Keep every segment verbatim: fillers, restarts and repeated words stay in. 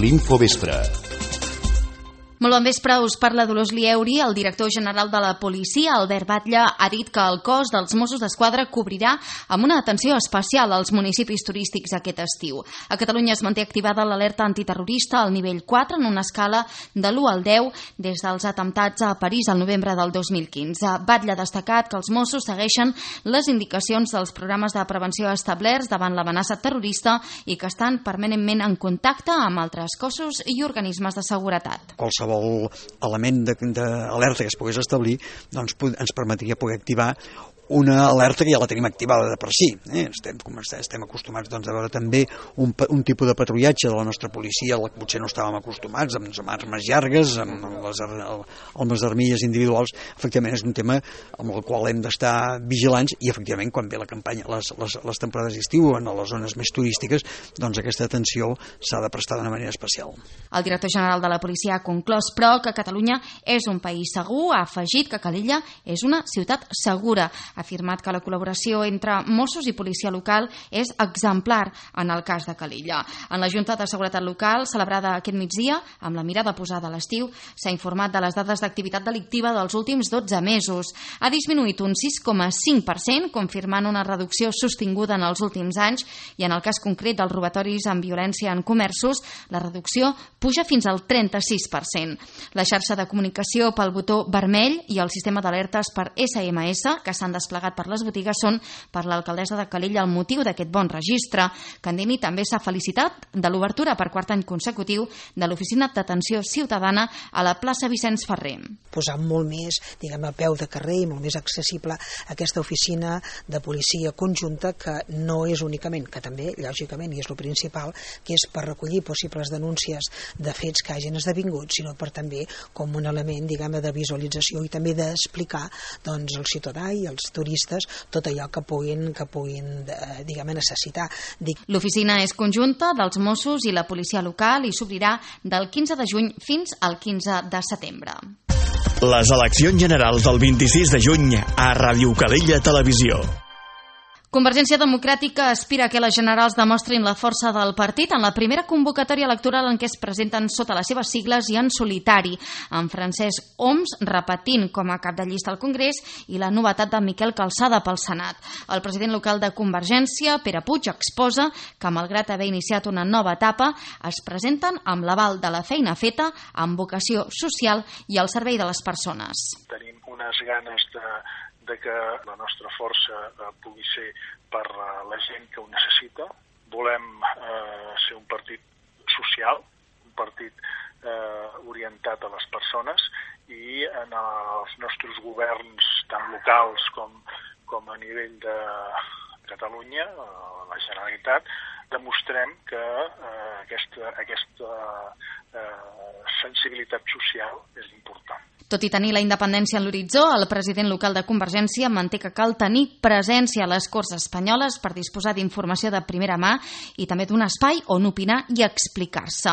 L'Infovespre. Molt bon vespre, us parla Dolors Lieuri. El director general de la policia, Albert Batlle, ha dit que el cos dels Mossos d'Esquadra cobrirà amb una atenció especial als municipis turístics aquest estiu. A Catalunya es manté activada l'alerta antiterrorista al nivell quatre en una escala de l'u al deu des dels atemptats a París al novembre del dos mil quinze. Batlle ha destacat que els Mossos segueixen les indicacions dels programes de prevenció establerts davant l'amenaça terrorista i que estan permanentment en contacte amb altres cossos i organismes de seguretat. Qualsevol element d'alerta que es pogués establir doncs, ens permetria poder activar una alerta que ja la tenim activada de per si. Eh? Estem, estem acostumats doncs, a veure també un, un tipus de patrullatge de la nostra policia al que potser no estàvem acostumats, amb, amb armes llargues, amb les, amb les armilles individuals. Efectivament, és un tema amb el qual hem d'estar vigilants i, efectivament, quan ve la campanya, les, les, les temporades d'estiu en les zones més turístiques, doncs aquesta atenció s'ha de prestar d'una manera especial. El director general de la policia ha conclòs, però, que Catalunya és un país segur. Ha afegit que Calella és una ciutat segura. Ha afirmat que la col·laboració entre Mossos i policia local és exemplar en el cas de Calella. En la Junta de Seguretat Local, celebrada aquest migdia, amb la mirada posada a l'estiu, s'ha informat de les dades d'activitat delictiva dels últims dotze mesos. Ha disminuït un sis coma cinc per cent, confirmant una reducció sostinguda en els últims anys, i en el cas concret dels robatoris amb violència en comerços, la reducció puja fins al trenta-sis per cent. La xarxa de comunicació pel botó vermell i el sistema d'alertes per esse eme esse, que s'han desplegat per les botigues, són per l'alcaldessa de Calella el motiu d'aquest bon registre. Candini també s'ha felicitat de l'obertura per quart any consecutiu de l'Oficina d'Atenció Ciutadana a la plaça Vicenç Ferrer. Posar molt més, diguem, a peu de carrer i molt més accessible aquesta oficina de policia conjunta, que no és únicament, que també, lògicament, i és el principal, que és per recollir possibles denúncies de fets que hagin esdevingut, sinó per també com un element, diguem, de visualització i també d'explicar doncs, al ciutadà i als turistes tot allò que puguin, que puguin diguem, necessitar. Dic... L'oficina és conjunta dels Mossos i la policia local i s'obrirà del quinze de juny fins al quinze de setembre. Les eleccions generals del vint-i-sis de juny a Ràdio Calella Televisió. Convergència Democràtica aspira que les generals demostrin la força del partit en la primera convocatòria electoral en què es presenten sota les seves sigles i en solitari, amb Francesc Homs repetint com a cap de llista al Congrés i la novetat de Miquel Calçada pel Senat. El president local de Convergència, Pere Puig, exposa que, malgrat haver iniciat una nova etapa, es presenten amb l'aval de la feina feta, amb vocació social i al servei de les persones. Tenim unes ganes de de que la nostra força eh, pugui ser per eh, la gent que ho necessita. Volem eh, ser un partit social, un partit eh, orientat a les persones, i en els nostres governs, tant locals com, com a nivell de Catalunya, eh, la Generalitat, demostrem que eh, aquesta, aquesta eh, sensibilitat social és important. Tot i tenir la independència en l'horitzó, el president local de Convergència manté que cal tenir presència a les Corts espanyoles per disposar d'informació de primera mà i també d'un espai on opinar i explicar-se.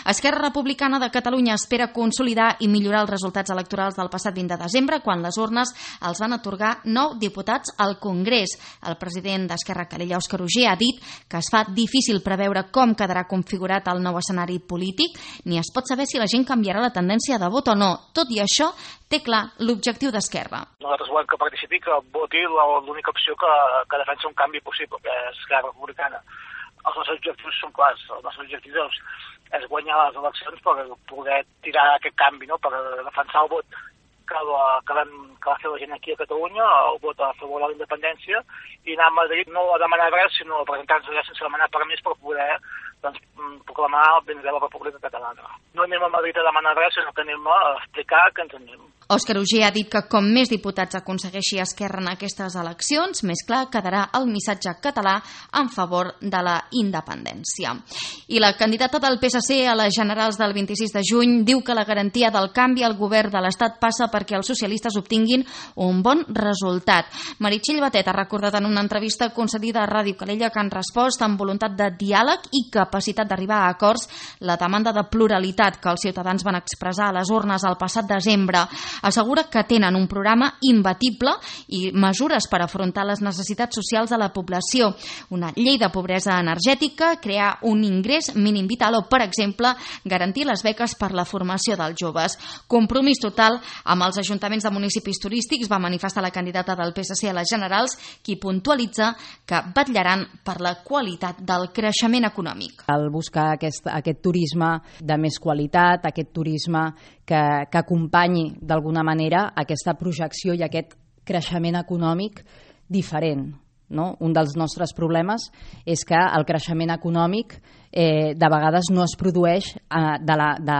Esquerra Republicana de Catalunya espera consolidar i millorar els resultats electorals del passat vint de desembre, quan les urnes els van atorgar nou diputats al Congrés. El president d'Esquerra, Calella, Òscar Uger, ha dit que es fa difícil preveure com quedarà configurat el nou escenari polític, ni es pot saber si la gent canviarà la tendència de vot o no. Tot i això, té clar l'objectiu d'Esquerra. Nosaltres volem que participi, que voti l'única opció que, que defensa un canvi possible, que és Esquerra Republicana. Els nostres objectius són clars. Els nostres objectius és guanyar les eleccions per poder tirar aquest canvi, no? Per defensar el vot que, la, que, vam, que va fer la gent aquí a Catalunya, el vot a favor de la independència, i anar a Madrid no a demanar res, sinó a presentar-nos allà sense demanar permís per poder doncs, proclamar el ben de la República Catalana. No anem a Madrid a demanar res, sinó que anem a explicar que ens anem. Òscar Uger ha dit que com més diputats aconsegueixi Esquerra en aquestes eleccions, més clar quedarà el missatge català en favor de la independència. I la candidata del P S C a les generals del vint-i-sis de juny diu que la garantia del canvi al govern de l'Estat passa perquè els socialistes obtinguin un bon resultat. Meritxell Batet ha recordat en una entrevista concedida a Ràdio Calella que han respost amb voluntat de diàleg i capacitat d'arribar a acords la demanda de pluralitat que els ciutadans van expressar a les urnes el passat desembre. assegura que tenen un programa imbatible i mesures per afrontar les necessitats socials de la població. Una llei de pobresa energètica, crear un ingrés mínim vital o, per exemple, garantir les beques per la formació dels joves. Compromís total amb els ajuntaments de municipis turístics, va manifestar la candidata del P S C a les generals, qui puntualitza que vetllaran per la qualitat del creixement econòmic. Al buscar aquest, aquest turisme de més qualitat, aquest turisme que, que acompanyi d'alguna manera aquesta projecció i aquest creixement econòmic diferent. No? Un dels nostres problemes és que el creixement econòmic eh, de vegades no es produeix eh, de la, de,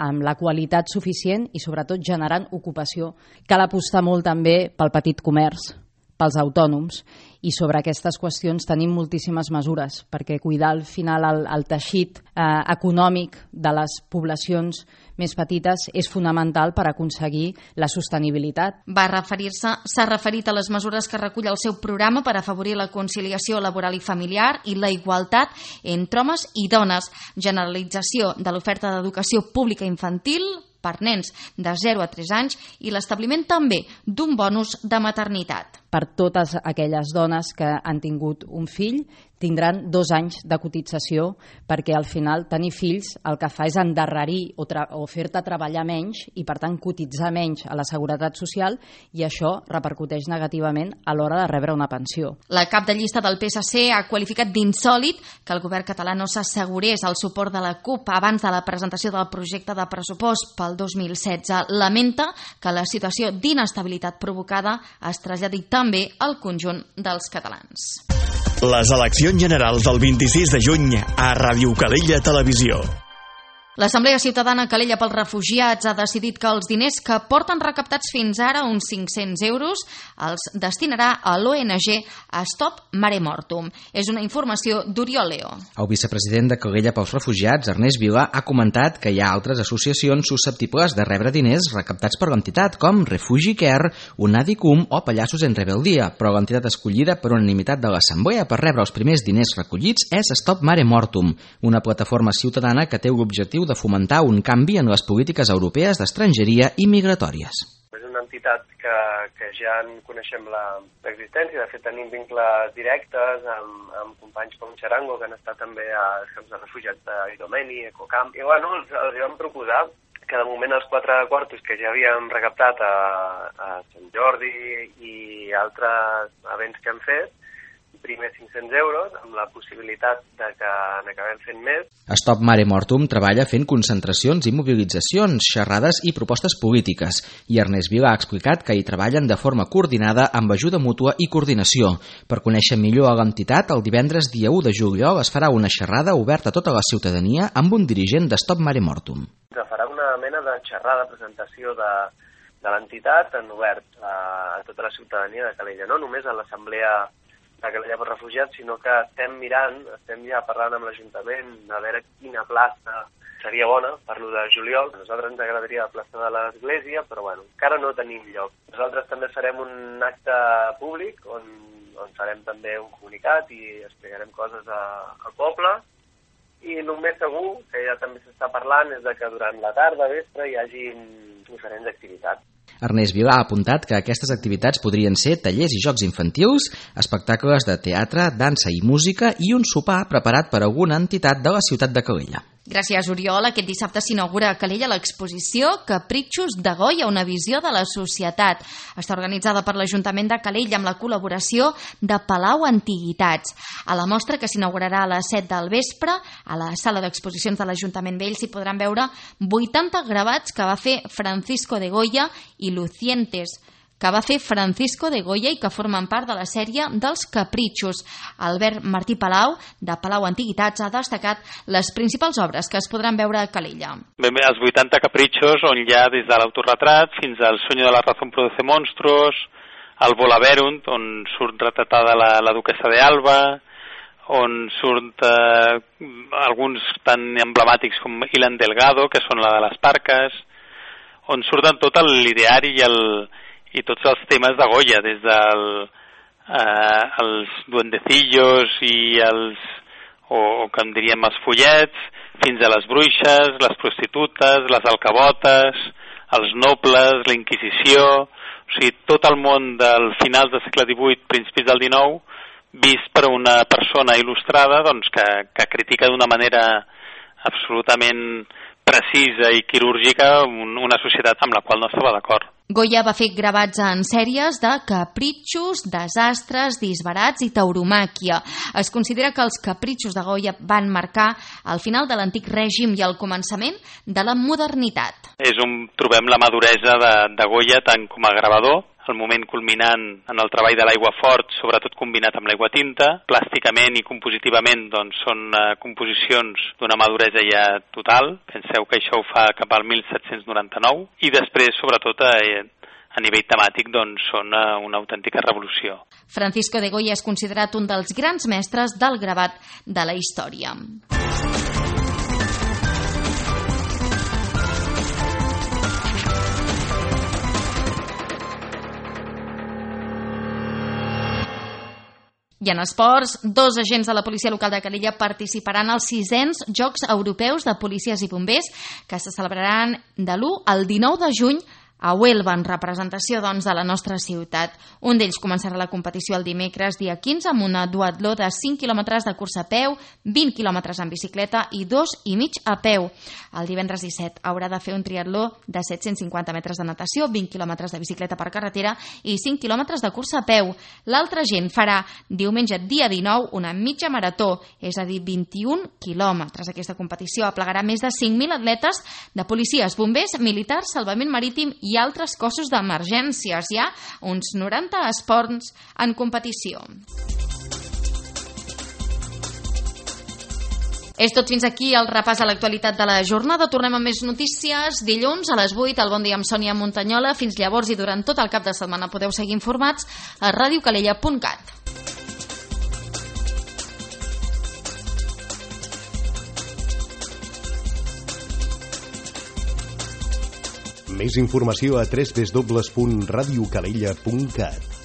amb la qualitat suficient i sobretot generant ocupació. Cal apostar molt també pel petit comerç, pels autònoms, i sobre aquestes qüestions tenim moltíssimes mesures, perquè cuidar al final el, el teixit eh, econòmic de les poblacions més petites és fonamental per aconseguir la sostenibilitat. Va referir-se, s'ha referit a les mesures que recull el seu programa per afavorir la conciliació laboral i familiar i la igualtat entre homes i dones, generalització de l'oferta d'educació pública infantil per nens de zero a tres anys i l'establiment també d'un bonus de maternitat. Per totes aquelles dones que han tingut un fill tindran dos anys de cotització, perquè al final tenir fills el que fa és endarrerir o, o fer-te treballar menys i per tant cotitzar menys a la Seguretat Social, i això repercuteix negativament a l'hora de rebre una pensió. La cap de llista del P S C ha qualificat d'insòlit que el govern català no s'assegurés el suport de la CUP abans de la presentació del projecte de pressupost pel dos mil setze. Lamenta que la situació d'inestabilitat provocada es traslladi també al conjunt dels catalans. Les eleccions generals del vint-i-sis de juny a Ràdio Calella Televisió. L'Assemblea Ciutadana Calella pels Refugiats ha decidit que els diners que porten recaptats fins ara, uns cinc-cents euros, els destinarà a l'O N G Stop Mare Mortum. És una informació d'Oriol Leo. El vicepresident de Calella pels Refugiats, Ernest Vila, ha comentat que hi ha altres associacions susceptibles de rebre diners recaptats per l'entitat, com Refugi Care, Unadicum o Pallassos en Rebeldia, però l'entitat escollida per unanimitat de l'Assemblea per rebre els primers diners recollits és Stop Mare Mortum, una plataforma ciutadana que té l'objectiu de fomentar un canvi en les polítiques europees d'estrangeria i migratòries. És una entitat que, que ja en coneixem l'existència, de fet tenim vincles directes amb, amb companys com Charango, que han estat també als camps de refugiats d'Idomeni, Ecocamp, i bueno, els, els vam proposar que de moment els quatre quartos que ja havíem recaptat a, a Sant Jordi i altres events que hem fet, primer cinc-cents euros, amb la possibilitat de que n'acabem fent més. Stop Mare Mortum treballa fent concentracions i mobilitzacions, xerrades i propostes polítiques, i Ernest Vila ha explicat que hi treballen de forma coordinada amb ajuda mútua i coordinació. Per conèixer millor a l'entitat, el divendres dia u de juliol es farà una xerrada oberta a tota la ciutadania amb un dirigent de Stop Mare Mortum. Se farà una mena de xerrada, presentació de, de l'entitat en obert a, a tota la ciutadania de Calella, no només a l'Assemblea de Calella pels Refugiats, sinó que estem mirant, estem ja parlant amb l'Ajuntament a veure quina plaça seria bona per l'u de juliol. A nosaltres ens agradaria la plaça de l'Església, però bueno, encara no tenim lloc. Nosaltres també farem un acte públic on, on farem també un comunicat i explicarem coses a, al poble, i el més segur, que ja també s'està parlant, és de que durant la tarda, vespre, hi hagi diferents activitats. Ernest Vila ha apuntat que aquestes activitats podrien ser tallers i jocs infantils, espectacles de teatre, dansa i música i un sopar preparat per alguna entitat de la ciutat de Calella. Gràcies, Oriol. Aquest dissabte s'inaugura a Calella l'exposició Capritxos de Goya, una visió de la societat. Està organitzada per l'Ajuntament de Calella amb la col·laboració de Palau Antiguitats. A la mostra, que s'inaugurarà a les set del vespre, a la sala d'exposicions de l'Ajuntament Vell s'hi podran veure vuitanta gravats que va fer Francisco de Goya i Lucientes, que va fer Francisco de Goya i que formen part de la sèrie dels Capritxos. Albert Martí Palau, de Palau Antiguitats, ha destacat les principals obres que es podran veure a Calella. Ben bé, els vuitanta capritxos, on hi ha des de l'autorretrat fins al Sueño de la razón produce monstruos, el Volaverunt, on surt retratada la, la duquesa de Alba, on surt eh, alguns tan emblemàtics com Ilan Delgado, que són la de les Parques, on surten tot l'ideari i el i tots els temes de Goya, des dels eh, els duendecillos i els, o, o com diríem, els follets, fins a les bruixes, les prostitutes, les alcabotes, els nobles, la Inquisició, o sigui, tot el món del finals del segle divuit, principis del dinou, vist per una persona il·lustrada doncs, que, que critica d'una manera absolutament precisa i quirúrgica una societat amb la qual no estava d'acord. Goya va fer gravats en sèries de capritxos, desastres, disbarats i tauromàquia. Es considera que els capritxos de Goya van marcar el final de l'antic règim i el començament de la modernitat. És on trobem la maduresa de, de Goya tant com a gravador, el moment culminant en el treball de l'aigua fort, sobretot combinat amb l'aigua tinta. Plàsticament i compositivament doncs, són uh, composicions d'una maduresa ja total. Penseu que això ho fa cap al mil set-cents noranta-nou. I després, sobretot, uh, a nivell temàtic, doncs, són uh, una autèntica revolució. Francisco de Goya és considerat un dels grans mestres del gravat de la història. I en esports, dos agents de la policia local de Calella participaran als sisens Jocs Europeus de Policies i Bombers que se celebraran de l'u al dinou de juny a Huelva, en representació doncs, de la nostra ciutat. Un d'ells començarà la competició el dimecres, dia quinze, amb una duatló de cinc quilòmetres de cursa a peu, vint quilòmetres en bicicleta i dos i mig a peu. El divendres disset haurà de fer un triatló de set-cents cinquanta metres de natació, vint quilòmetres de bicicleta per carretera i cinc quilòmetres de cursa a peu. L'altre gent farà diumenge, dia dinou, una mitja marató, és a dir, vint-i-un quilòmetres. Aquesta competició aplegarà més de cinc mil atletes de policies, bombers, militars, salvament marítim i altres cossos d'emergències. Hi ha uns noranta esports en competició. És tot fins aquí el repàs a l'actualitat de la jornada. Tornem amb més notícies dilluns a les vuit al Bon Dia amb Sònia Montanyola. Fins llavors i durant tot el cap de setmana podeu seguir informats a ràdio calella punt cat. Més informació a w w w punt radiocalella punt cat.